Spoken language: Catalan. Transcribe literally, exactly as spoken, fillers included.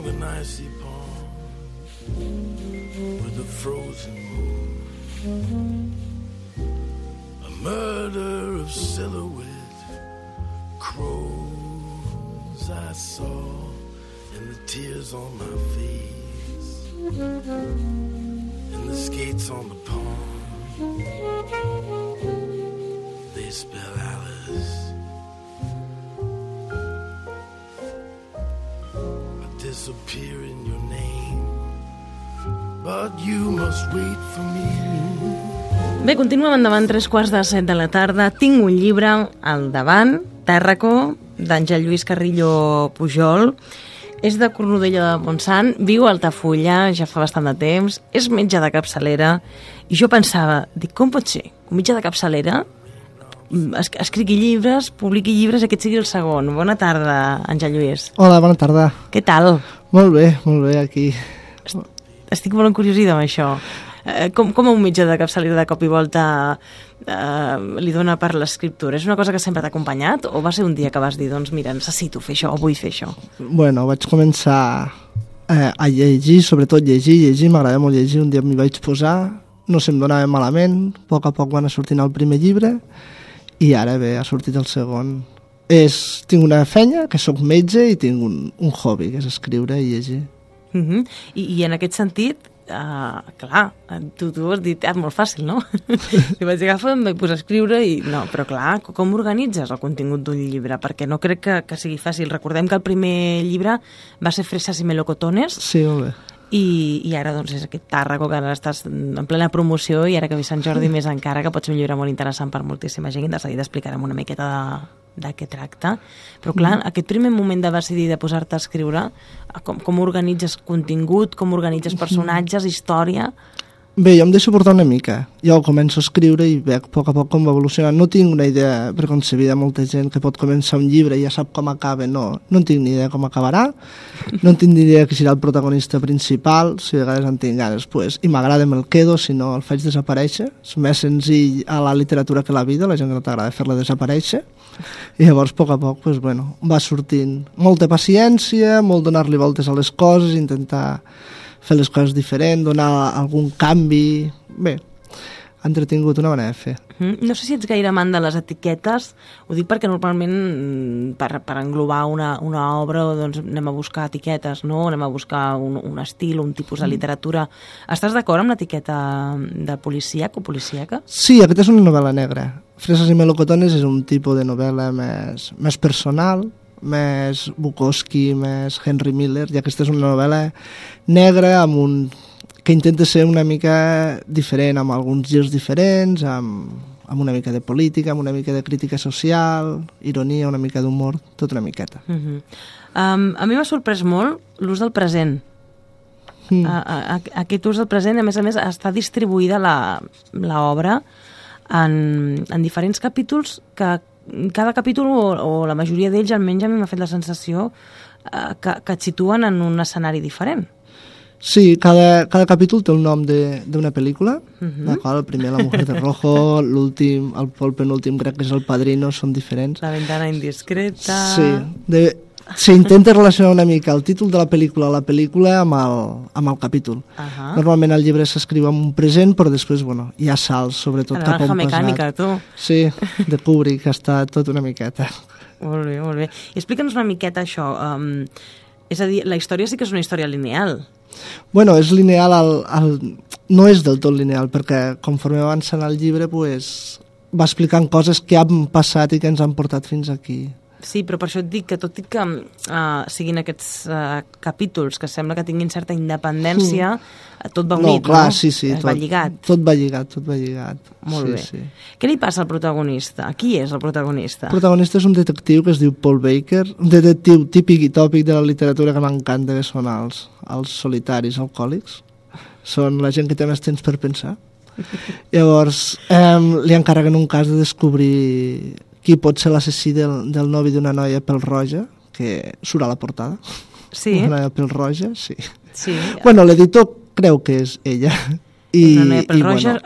along an icy pond with a frozen moon, a murder of silhouette crows I saw in the tears on my face, and the skates on the pond, they spell Alice. I disappear in your name, but you must wait for me. Bé, continuem endavant, tres quarts de set de la tarda. Tinc un llibre al davant, Tàrraco, d'Àngel Lluís Carrillo Pujol. És de Cornudella de Montsant, viu a Altafulla, ja fa bastant de temps, és metge de capçalera, i jo pensava, dic, com pot ser? Un metge de capçalera es escrigui llibres, publiqui llibres i aquest sigui el segon. Bona tarda, Àngel Lluís. Hola, bona tarda. Què tal? Molt bé, molt bé, aquí. Estic molt encuriosida amb això. Com, com un metge de capçalera de cop i volta eh, li dona per l'escriptura? És una cosa que sempre t'ha acompanyat o va ser un dia que vas dir, doncs mira, necessito fer això o vull fer això? Bueno, vaig començar eh, a llegir, sobretot llegir, llegir, m'agrada molt llegir, un dia m'hi vaig posar, no se'm donava malament, a poc a poc van sortint el primer llibre i ara bé, ha sortit el segon. És, tinc una feina, que sóc metge, i tinc un, un hobby, que és escriure i llegir. Uh-huh. I, I en aquest sentit, Uh, clar, tu, tu has dit, és molt fàcil, no? I vaig agafar, em vaig posar a escriure i no, però clar, com organitzes el contingut d'un llibre? Perquè no crec que, que sigui fàcil. Recordem que el primer llibre va ser Fresas i Melocotones. Sí, molt bé. I, i ara doncs és aquest Tàrraco que ara estàs en plena promoció i ara que ve Sant Jordi més encara, que pot ser un llibre molt interessant per moltíssima gent, de seguida explicarem una miqueta de, de què tracta. Però clar, mm. aquest primer moment de decidir de posar-te a escriure, com, com organitzes contingut, com organitzes personatges, història... Bé, jo em deixo portar una mica. Jo començo a escriure i veig a poc a poc com va evolucionant. No tinc una idea preconcebida, molta gent que pot començar un llibre i ja sap com acaba. No, no en tinc ni idea com acabarà. No en tinc ni idea qui serà el protagonista principal. Si a vegades en tinc ganes, pues, i m'agrada me'l quedo, si no el faig desaparèixer. És més senzill a la literatura que a la vida, la gent que no t'agrada fer-la desaparèixer. I llavors, a poc a poc, pues, bueno, va sortint molta paciència, molt donar-li voltes a les coses, intentar fer les coses diferents, donar algun canvi... Bé, ha entretingut una manera de fer. Mm, no sé si ets gaire amant de les etiquetes, ho dic perquè normalment per, per englobar una, una obra doncs anem a buscar etiquetes, no? Anem a buscar un, un estil, un tipus de literatura. Estàs d'acord amb l'etiqueta de policíac o policíaca? Sí, aquesta és una novel·la negra. Fresas i Melocotones és un tipus de novel·la més, més personal, més Bukowski, més Henry Miller, i aquesta és una novel·la negra amb un... que intenta ser una mica diferent, amb alguns girs diferents, amb, amb una mica de política, amb una mica de crítica social, ironia, una mica d'humor, tot una miqueta. Uh-huh. um, a mi m'ha sorprès molt l'ús del present. Mm. A, a, aquest ús del present, a més a més, està distribuïda l'obra en, en diferents capítols que cada capítol, o, o la majoria d'ells, almenys a mi m'ha fet la sensació eh, que, que et situen en un escenari diferent. Sí, cada, cada capítol té el nom d'una pel·lícula, uh-huh. La qual el primer La mujer de rojo, l'últim, el, el penúltim crec que és El padrino, són diferents. La ventana indiscreta... Sí, de, s'intenta relacionar una mica el títol de la pel·lícula la pel·lícula amb el, amb el capítol. Uh-huh. Normalment el llibre s'escriu amb un present, però després, bueno, hi ha salts, sobretot la cap a un passat. Mecànica, tu. Sí, de Kubrick, que està tot una miqueta. Molt bé, molt bé. I explica'ns una miqueta això. Um, és a dir, la història sí que és una història lineal. Bueno, és lineal, al, al, no és del tot lineal, perquè conforme avança en el llibre pues, va explicant coses que han passat i que ens han portat fins aquí. Sí, però per això et dic que tot i que uh, siguin aquests uh, capítols que sembla que tinguin certa independència, mm. tot va unit, no? Clar, no? Sí, sí, tot, va lligat. Tot va lligat, tot va lligat. Molt sí, bé. Sí. Què li passa al protagonista? Qui és el protagonista? El protagonista és un detectiu que es diu Paul Baker, un detectiu típic i tòpic de la literatura que m'encanta, que són els, els solitaris alcohòlics. Són la gent que té més temps per pensar. Llavors, eh, li encarreguen un cas de descobrir qui pot ser l'assassí del, del novi d'una noia pèl-roja, que surt a la portada. Sí? Una noia pèl-roja, sí. Sí. Bueno, l'editor creu que és ella. I, una noia pèl-roja, i, bueno,